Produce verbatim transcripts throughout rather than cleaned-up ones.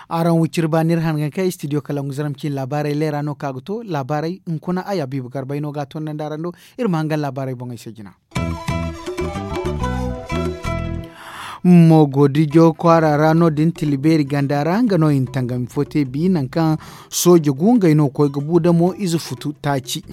Araŋ wiciri ba n'iri hangan kay studio kalangu zaram cine laabaarey leera no ka ga to laabaarey hunkuna ay abiibu garbay no ga a tondandi araŋ do. Iri ma hangan laabaarey boŋey se jina. Moogodijo kwaara ra no- din tila beeri ganda ra nga no i na tangami fo te bi nangu kaŋ sooje gu ngey no ga koy ga bu damo ize futu taaci.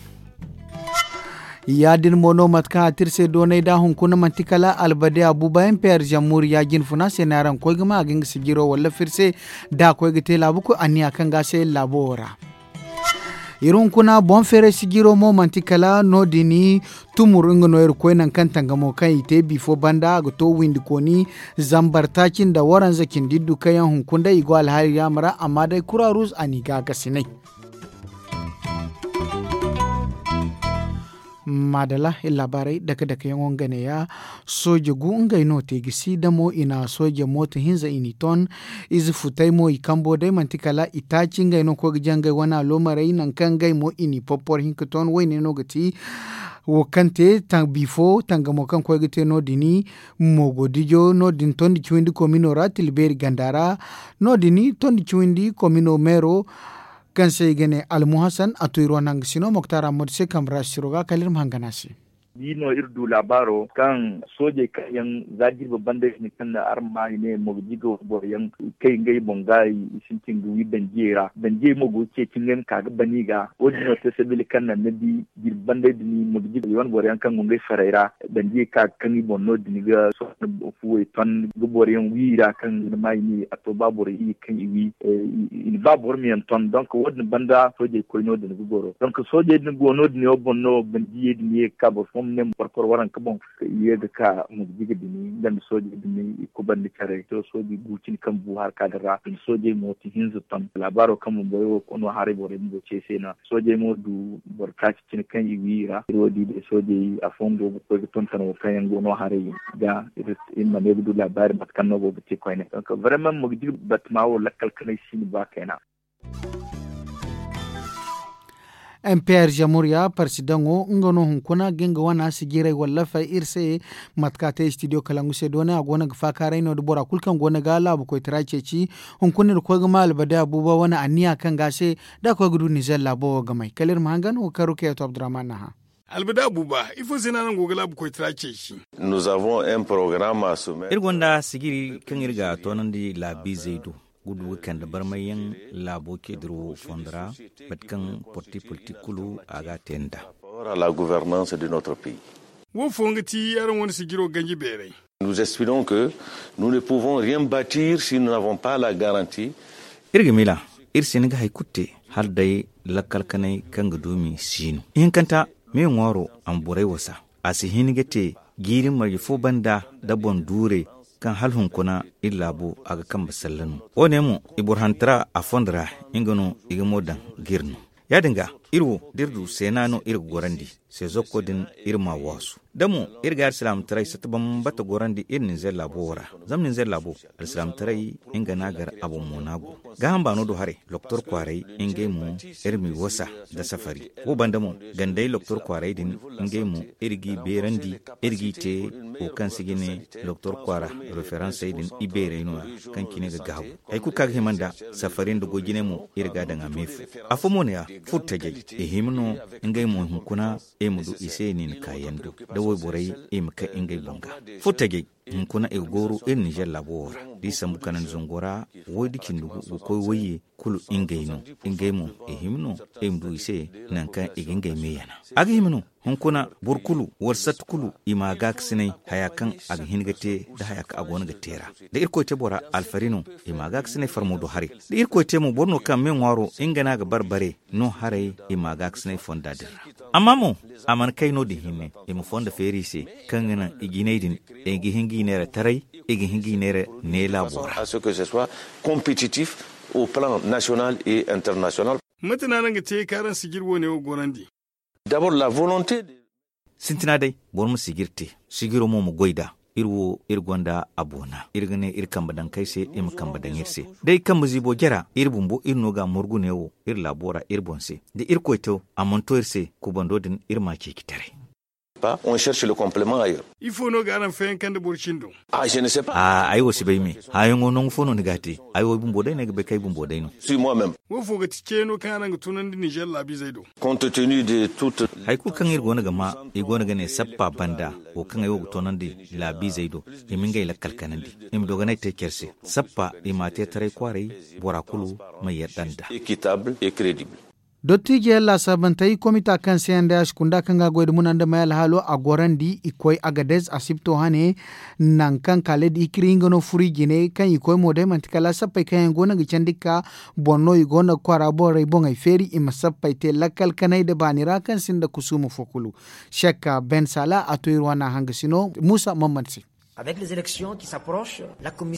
Ya- din mo no mate kaŋ a te iri se doonay da hunkuna manti kala albade abuba mper zammuuri ya- jine funa se no araŋ ga koy ga ma a ga nga sijiro walla firi se da a koy ga te laabu koy anniya kaŋ ga a se laabo wo ra. Iri hunkuna boŋ feeray sijiro mo manti kala no- din tumur nga no iri koy nangu kaŋ tangamo kaŋ i te bifo banda a ga to windikooni zambar taaci nda waranza cindi iddu kaŋ yaŋ hunkuna day i go alhaali yaama ra amma day kura ruuz a n'i gaakasinay. Maadala iri laabaarey dake dake yaŋo nga neeya. Sooje gu ngey no te ga si damo i na sooje mooto hinza i n'i ton. Ize futey mo i kambo day manti kala i taaci ngey no ga koy ga jangay wane aloomarey nangu kaŋ ngey mo i n'i porpor hinka ton woyne no ga ti wo kaŋ te bifo tangamo kaŋ koy ga te no- din. Moogodijo no- din tondi ciwindi komino ra tila beeri ganda ra. No- din tondi ciwindi komino meero kaŋ se i ga ne almuhasan a tu iri wane hangasino moktar ammadu se kambe ra siro ga kala iri ma hangan a se. Bi no iri du laabaaro kaŋ soojey kaŋ yaŋ za jirbi banday din kaŋ na araŋ ma i ne mogjiga boro yaŋ kay ngey boŋ ga i sintin ga wi danjiyey ra danjiyey mo go ga ceeci ngey ma ka ga ban i ga wo- din no te sabili kaŋ naŋ ni di jirbi banday din mogjiga i wane boro yaŋ kaŋ go ngey farey ra danjiyey ka ga kaŋ i boŋ no- din ga sohõ fuwey ton ga boro yaŋ wi i ra kaŋ ni ma i ne a to ba boro i kaŋ i wi i na ba boro ma yaŋ ton donk wo- din banda soojey koy no- din ga goro donk soojey din go no- din yaŋ boŋ no banda iyey din ye ga ka boro fooyaŋ ma ne ma porpor waranka boŋ i ye ga ka mogjiga din nga nda soojey din i kubandi care to soojey gu cine kaŋ bu harka din ra i na soojey mo ti hinza ton laabaaro kaŋ bumbo ay wo no haray borey bumbo ce se no soojey mo du boro taaci cine kaŋ i wi i ra iri wo di day soojey afooyaŋ go ga koy ga tonton wo kaŋ yaŋ go no haray ga iri ma ne ga du laabaari mate kaŋ no go ga te koyne donk vraiment mogjiga batama wo lakkal kanay si ni ba kayna. M P R jamhuriya parsidaŋo nga no hunkuna ga nga wana sijirey wallafey iri se mate kaŋ a te studio kalangu se doone a go no ga faakaaray no- din bora kulu kaŋ go no ga laabu koytara ceeci. Hunkuna iri koy ga ma albade abuba wane anniya kaŋ ga a se da a koy ga du nizer laabo wo ga may kala iri ma hangan wo kaŋ rukeya to abdurrahman naha. Albade abuba ifo se no araŋ go ga laabu koytara ceeci? Iri gonda sijiri kaŋ iri ga a toonandi laabiizey do ga du ga kande barmayyaŋ laabo ceediro wo fondo ra mate kaŋ porti politik kulu a ga a te nd'a. Wo fooyaŋ ga ti araŋ wane sijiro ganji beeray. Nous espérons que nous ne pouvons rien bâtir si nous n'avons pas la garantie. Iri ga miila iri si hin ga hari kulu te hala day lakkal kanay kaŋ ga duumi si no ihinkanta me ŋwaaro a ma borey wasa a si hin ga te jiiri marje fo banda nda boŋ duurey kaŋ hala hunkuna iri laabo a ga kambe salla no wo- ne mo i boro hantara a fondo ra nga no i ga mo daŋ ga iri no ya- din ga iri wo da iri du seena no iri ga gorandi se zokko din iri m'a waasu da mo iri ga alsilaamataray satta bambata gorandi iri ninzeer laabo wo ra zama ninzeer laabo alsilaamataray nga no a gar a boŋ mo no a go gaaham baano do haray loktor kwaaray ngey mo iri m'i wasa nda safari wo banda mo gandey loktor kwaaray din ngey mo iri g'i beerandi iri g'i te wo kaŋ se ga ne loktor kwaara referansey din ibeerey no- ya kaŋ cine ga gaabu hari kulu kaŋ a ga hima nda safari nda goy jinay mo iri ga a daŋ a me fo afo mo no- ya furtajey i hima no ngey mo hunkuna i ma du i se niina kaayando nda wayborey i ma kay ngey boŋ ga furtajey hunkuna i ga gooru iri ninzeer laabo wo ra da i sambu kanandi zango ra woy da cindi gu ga koy wayye kulu ngey no ngey mo i hima no i ma du i se nangu kaŋ i ga ngey me yana a ga hima no hunkuna boro kulu wala satti kulu i m'a gaakasinay haya kaŋ a ga hin ga te nda haya kaŋ a goono ga te ra da irkoy te bora alfari no i m'a gaakasinay farmo do haray da irkoy te mo boro no kaŋ me ŋwaaro nga no a ga bare bare no haray i m'a gaakasinay fonda din ra amma mo a mana kay no- din hinne i ma fondo feeri i se kaŋ ga naŋ i jinay din i ga hin g'i neera taray i ga hin g'i neera ne laabo ra. Compétitif au plan national et international. Mate no araŋ ga te ka araŋ sijir woone wo gorandi? D'abord la volonté de. Sintina day boro ma sijir te sijiro mo ma goy nd'a iri wo iri gonda a boona iri ga ne iri kambe daŋ kay se i ma kambe daŋ iri se. Da i kambe ziibo jara iri bumbo iri no ga a morgu ne wo iri laabo ra iri boŋ se da iri koy to a mana to iri se kubando din iri ma a ceeci taray. Ifo no ga araŋ fayanka nda boro cindo? Ay wo si bay me. Haayaŋo nangu fo no ni ga a te? Ay wo ay bumbo day no ay ga bay kaŋ ay bumbo day no. Wo fo ga ti ceeno kaŋ araŋ ga tunandi nizer laabiizey do? Hari kulu kaŋ iri go no ga ma i go no ga ne sappa banda wo kaŋ ay wo ga toonandi laabiizey do i ma ngey lakkal kanandi i ma dogonay te care se. Sappa i m'a te taray kwaaray bora kulu ma yadda nd'a. Dottiijey laasaabantey komita kaŋ se nda yaasi kunda kaŋ ga goy da muna nda may alhaalo a gorandi i koy agadez asibto hane. Nangu kaŋ kaaled ikiri nga no furu i jine kaŋ i koy mo day manti kala sappey kaŋ yaŋ go no ga candi ga ka boŋ no i go no ga kwaara borey boŋey feeri i ma sappey te lakkal kanay nda baani ra kaŋ sinda kusuuma fo kulu. Sekka ben sala a to iri wane hangasino muusa mamman se.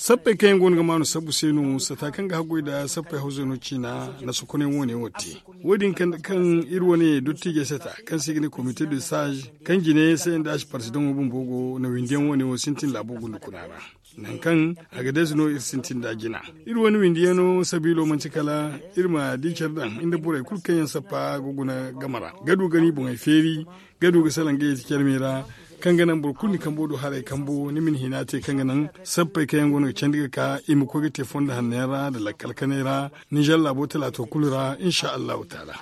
Sappey kaŋ yaŋ go no ga maanu sabbu se no sata kaŋ ga haggoy nda sappey hawzey no ciina na sokonay wo- ne wo te. Wo- din kande kaŋ iri wane dottiijey sata kaŋ se i ga ne komite de sage kaŋ jine se nda asi parsidaŋo bumbo go na windiyaŋ wo- ne wo sintin laabo gundukuna ra. Nangu kaŋ a ga deesu no iri sintin nda jina iri wane windiyaŋo sabiilo manti kala iri ma di care daŋ nda borey kulu kaŋ yaŋ sappa ga guna game ra ga du ga ni boŋey feeri ga du ga salaŋ ga yeeti care me ra. Kaŋ ga naŋ boro kulu ni kambo du haray kambo ni ma ni hina te kaŋ ga naŋ sappey kaŋ yaŋ go no ga candi ga ka i ma koy ga te fondo hanno yaŋ ra nda lakkal kanay ra. Nizer laabo talaato kulu ra insa allahu taala.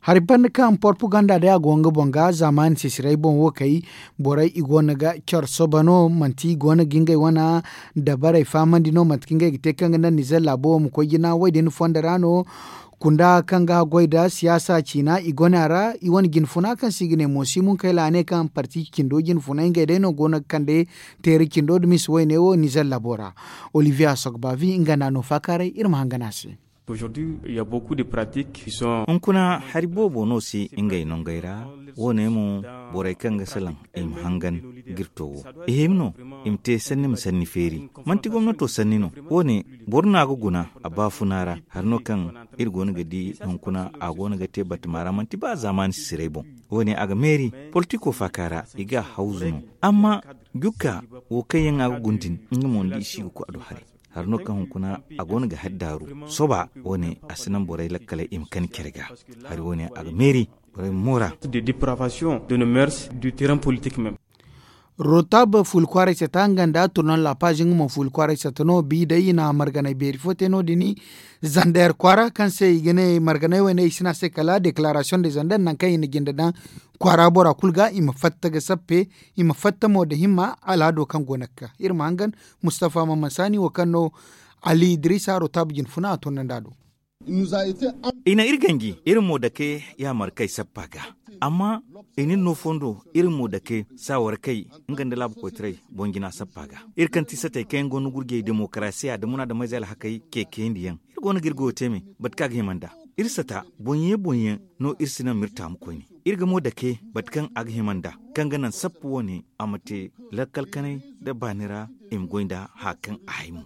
Hari banda kaŋ propaganda day a go nga boŋ ga zaamaani sisiray boŋ wo kay borey i go no ga care soba no manti i go no ga ngey wane dabarey fahamandi no manti kaŋ ngey ga te kaŋ ga naŋ nizer laabo wo ma koy jina wo- din fondo ra no. Kunda kaŋ ga goy nda siyaasa ciina i gone a ra i wane jinfuna kaŋ se i ga ne moosi munkay la a ne kaŋ parti cindo jinfunay ngey day no go no ga kande teeri cindo nda misa wayne wo nizer labo ra. Olivier asogbavi nga no a no faakaaray iri ma hangan a se. Hunkuna hari boobo no se ngey nongey ra. Wo- ne mo borey kaŋ ga salaŋ i ma hangan jirto wo i hima no i ma te sanni ma sanni feeri. Manti gomnato sanni no. Wo- ne boro no a ga guna a baafuna ra hari no kaŋ iri go no ga di hunkuna a go no ga te batama ra manti ba zaamaani sisiray boŋ. Wo- ne a ga meeri politiko faaka ra i ga a hawzu no. Amma jukka wo kaŋ yaŋ a ga guna din nga mo ni di i si ga koy a do haray. Hari no kaŋ hunkuna a go no ga hari daaru soba wo- ne a si naŋ borey lakkaley i ma kani care ga. Hari wo- ne a ga meeri borey ma moora. Rotab fuuli kwaaray sata nga nda turnon la page nga mo fuuli kwaaray sata no bi day i na marganay beeri fo te no- din. Zander kwaara kaŋ se i ga ne marganay wayne i si ne a se kala declaration de zander nangu kaŋ i na jinde daŋ kwaara bora kulu ga i ma fatta ga sappe i ma fatta mo nda himma alhaado kaŋ go no ga ka iri ma hangan. Mustafa mamman saani wo kaŋ no ali idrisa rotab jinfuna a turnandi a do. I na iri ganji iri mo dake yaamar kay sappa ga. Amma i na iri no fondo iri mo dake saawar kay nga nda laabu koytaray boŋ jina sappa ga. Iri kaŋ ti satey kaŋ yaŋ go no gurjey demokarasiya nda munaadameyze alhakey ceeciyandi yaŋ iri go no ga iri goyo te me bate kaŋ a ga hima nd'a. Iri sata boŋ ye boŋ yaŋ no iri si naŋ ma iri taamu koyne. Iri ga mo dake bate kaŋ a ga hima nd'a kaŋ ga naŋ sappa wo- ne a ma te lakkal kanay nda baani ra i ma goy nd'a haya kaŋ a hay mo.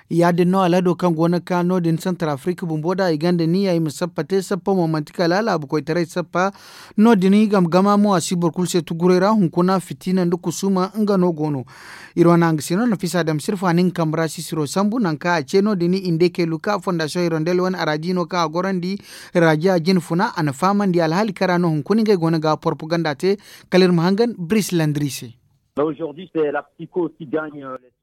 Ya- din no alhado kaŋ go no ga ka no- din santar afirika bumbo da i gonda niya i ma sappa te sappa mo manti kala laabu koytaray sappa. No- din i gama gama mo a si boro kulu se tuguray ra hunkuna fitina nda kusuuma nga no go no. Iri wane hangasino nafisa dam sirfa nin kambe ra sisiro sambu nangu kaŋ a ce no- din i nda kaylu ka fondasiyoŋ hirondel wane araji no kaŋ a gorandi. Raji a jinfuna a na fahamandi alhaali kaŋ ra no hunkuna ngey go no ga propaganda te. Kala iri ma hangan bris landri se.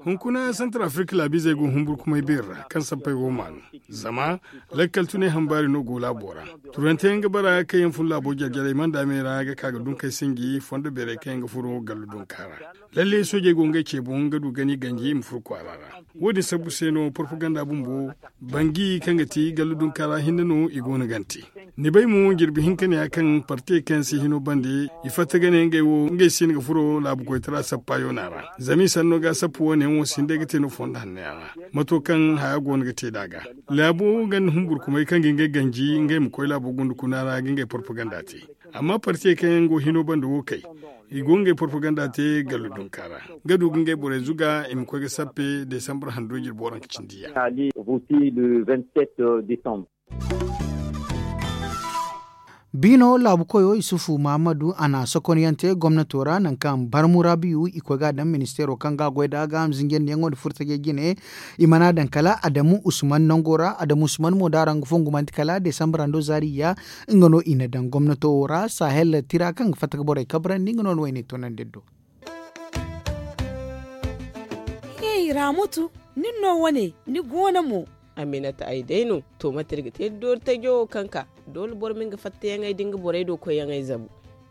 Hunkuna santar afirika laabiizey go humburkumay beeri ra kaŋ sappey go maanu. Zama lakkal tunay hambaari no go laabo ra. Turante yaŋ ga bara kaŋ yaŋ fun laabo jarjarey manda me ra ga ka ga dunkey sinji fondo beerey kaŋ yaŋ ga furo gallu dunka ra. Lalle soojey go ngey ce boŋ ga du gani ganji i ma furo kwaara ra. Wo- din sabbu se no propaganda bumbo bangi kaŋ ga ti gallu dunka ra hinne no i go no gante. Ni bay mo jirbi hinka ne ya kaŋ partey kaŋ yaŋ si hino bande i fatta ga ne ngey wo ngey si hin ga furo laabu koytara sappa yoona ra. Zama i sanno ga sappa wo- ne yaŋ wo si hin day ga te no fondo hanno yaŋ ra. Mato kaŋ haya go no ga te nd'a ga laabo ganda humburkumay kaŋ ga ngey ganji ngey ma koy laabo gundukuna ra ga ngey propaganda te. Amma partey kaŋ yaŋ go hino bande wo kay i go ngey propaganda te gallu dunka ra ga du ga ngey borey zuga i ma koy ga sappe desambar hando jirbi waranka cindi ya. Rusi le vingt-sept décembre. Biino laabu koyo isufu mahammadu a na sokonyaŋ te gomnato ra nangu kaŋ barmu rabiyu i koy ga a daŋ ministeero kaŋ ga a goy nd'a gaaham zinjandiyaŋo nda furtajey jine. I mana daŋ kala adamu usman nango ra adamu usman mo da araŋ ga fongu manti kala desambarando zaari ya. Nga no i na daŋ gomnato wo ra sahel tira kaŋ ga fatta ga borey kabrandi nga no ni wayne toonandi iri do. Hey ramutu, nin no wane ni goono mo? Aminata ay day no. To mate iri ga te doori tajo wo kaŋ ka doole boro ma nga fattayaŋey da nga borey do koyyaŋey zabu.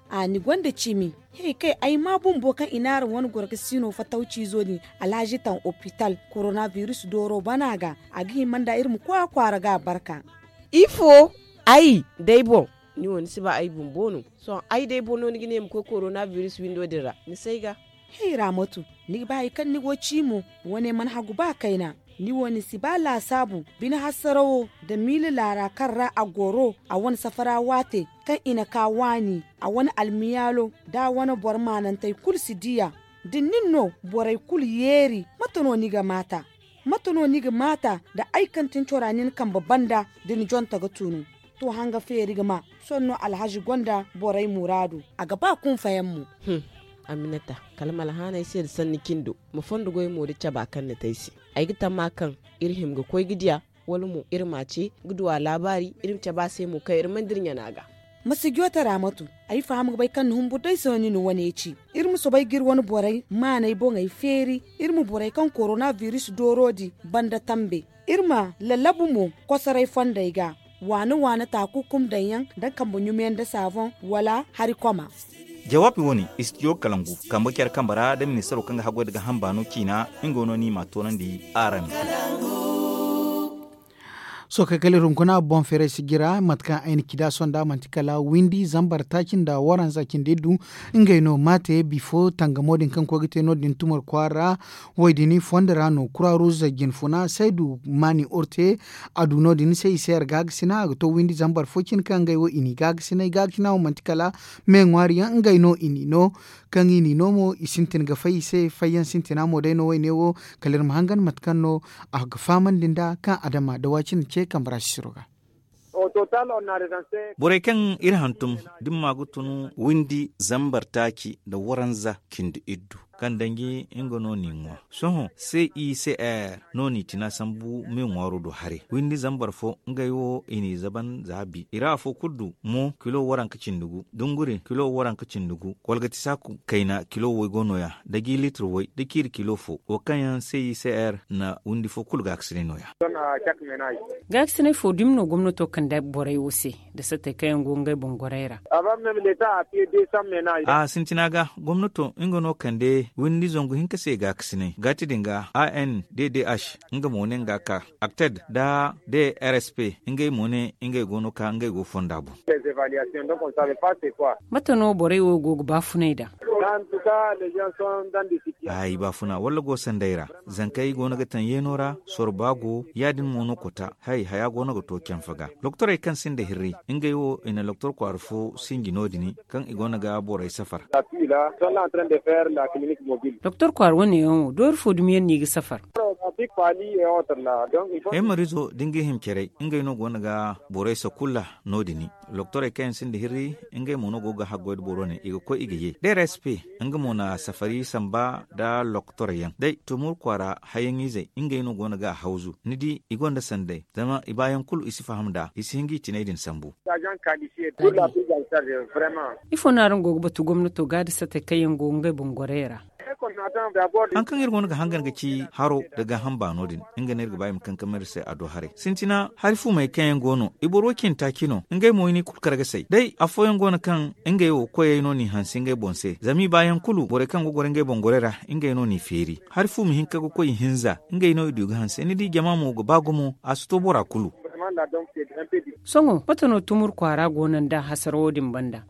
A ni gonda cimi. Hey kay ay ma bumbo kaŋ i naara wane goro ga siino fattaw ciizo din alhazi taŋ opital korona biris dooro bana ga. A ga hima nda iri ma koy a kwaara ga a barka. Ifo? Ay day boŋ. Ni wo ni si ba ay bumbo no. Sohõ ay day boŋ no ni ga ne ma koy korona biris windo din ra ni si ay ga. Hey raamatu, ni ga ba hari kaŋ ni go ci mo? Wane mana hagu ba kayna. Ni wo ni si ba laasaabu bine hasarawo nda miila laara kaŋ ra a goro a wane safara waate kaŋ i na ka waani a wane almiyaalo da a wane boro maanantey kulu si di a. Da nin no borey kulu yeeri mate no ni ga maata? Mate no ni ga maata nda ay kaŋ tin cora nin kambe banda da ni jonta ga tunu? To hanga feeri ga ma sohõ no alhazi gonda borey muraadu. A ga ba kunfayaŋ mo. Aminata, kala ma alhaanay se nda sanni cindo ma fondo goy mo da caba kaŋ ni te ay se. Ay ga tamma kaŋ iri hima ga koy ga di a, wala mo iri ma a ce ga du a laabaari iri ma cabe a se mo kaŋ iri mana dira ɲana ga. Ma si joote raamatu. Ay faham ga bay kaŋ ni humbur day se no ni na wane ci. Iri ma soobay ga iri wane borey maanay boŋey feeri. Iri ma borey kaŋ korona biris dooro din banda tambe. Iri ma lallabu mo kosoray fondey ga. Waane waane taakukum daŋ yaŋ nda kambe ɲumiyaŋ nda saaboŋ wala hari koma. Jawaabi wo-ne istidiyo kalangu kambe care kambe ra nda ministaro kaŋ ga haggoy nda gaaham baano ciina. Nga wo no ni m'a toonandi araŋ. Sohõ kay kala iri hunkuna boŋ feeray si jira mate kaŋ ay na ci nd'a sohõ nd'a manti kala windi zambar taaci nda waranza cindi iddu. Ngey no m'a te bifo tangamo din kaŋ koy ga te no- din tumar kwaara. Wo- din fondo ra no kura ruuza jinfuna saydu maani orte. A du no- din se i se yar gaagasinay a ga to windi zambar fo cine kaŋ ngey wo i n'i gaagasinay gaagasinay wo manti kala me ŋwaari yaŋ ngey no i n'i no. Kaŋ i n'i no mo i sintin ga fay i se fayyaŋ sintina mo day no wayne wo. Kala iri ma hangan mate kaŋ no a ga fahamandi nd'a kaŋ adama da waacine ce kambe ra sisiro ga. Borey kaŋ iri hantum da ni ma ga tun windi zambar taaci nda waranza cindi iddu kaŋ danji nga no n'i ŋwa. Sohõ se i se r no n'i tina sambu me ŋwaaro do haray windi zambar fo ngey wo i n'i zaban za bi i ra afo kulu du mo kilo waranka cindi gu dunguri kilo waranka cindi gu kolgati saaku kayna kilo way go nooya da gi litir way da ciiri kilo fo wo kaŋ yaŋ se i se r na windi fo kulu gaakasinay nooya. Gaakasinay fo dumi no gomnato kande borey wo se? Da sattey kaŋ yaŋ go ngey boŋ gorey ra. A sintina ga gomnato nga no kande windi zangu hinka se gaakasinay gaati din ga a n d d h nga mo ne nga ka akted da d r s p ngey mo ne ngey go no ka ngey go fonda boŋ. Mate no borey wo go ga baafunay nd'a? Ay baafuna walla go sanday ra. Zankey go no ga taŋ yeeno ra sorba go ya- din mo no kota hay haya go no ga to canfa ga. Loktorey kaŋ sinda hirri ngey wo i na loktor kwaara fo sinji no- din kaŋ i go no ga borey safar. Doktor kwaara wane yaŋ wo doori fo dumi yaŋ no i ga safar? Hemarizo da nga hima caray ngey no go no ga borey sakulla no- din. Loktorey kaŋ yaŋ sinda hirri ngey mo no go ga haggoy da boro ne i ga koy i ga ye d r s p. Nga mo na safari samba nda loktorey yaŋ day tumur kwaara hayaŋizey ngey no go no ga a hawzu ni di i gonda sanday zama i baayaŋ kulu i si faham nd'a i si hin ga i tinay din sambu. Ifo no araŋ go ga batu gomnato ga da sattey kaŋ yaŋ go ngey boŋ gorey ra? Haŋ kaŋ iri go no ga hangan ga ci haro nda gaaham baano din nga no iri ga ba i ma kankam iri se a do haray sintina hari fumey kaŋ yaŋ go no i boro cine taaci no ngey mo i n'i kulu kar ga say day afooyaŋ go no kaŋ ngey wo koyey no n'i hanse ngey boŋ se zama i baayaŋ kulu borey kaŋ go goro ngey boŋ gorey ra ngey no n'i feeri hari fu ma hin ka ga koy i hinza ngey no i du ga hanse ni di jama mo ga ba gumo a si to bora kulu. Sohõ mate no tumur kwaara go no nda hasara wo- din banda?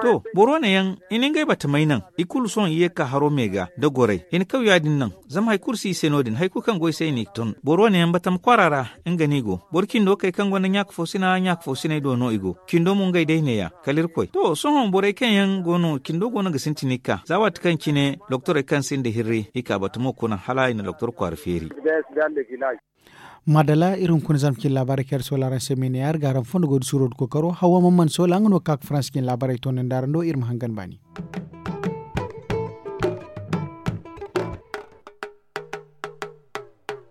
To boro wane yaŋ i na ngey batamey naŋ i kulu sohõ i ye ga ka haro me ga nda gorey i na kaw ya- din naŋ. Zama hari kulu si i se no- din hari kulu kaŋ go i se i n'i ton boro wane yaŋ batama kwaara ra. Nga no i go boro cindo kay kaŋ gonda ɲaaka fo sina ɲaaka fo sinay do no i go cindo mo ngey day neeya kala irkoy to sohõ borey kaŋ yaŋ go no cindo go no ga sintin i ga ka za waati kaŋ cine doktorey kaŋ sinda hirri i ka batamo kuna hala i na doktor kwaara feeri. Madala iri hunkuna zama cine laabaarey kaŋ iri soola araŋ se meene yaŋ iri ga araŋ fondo goy da suuro da kookaro hawa man mana soola nga no ga ka ga farans cine laabaarey toonandi araŋ do iri ma hangan baani.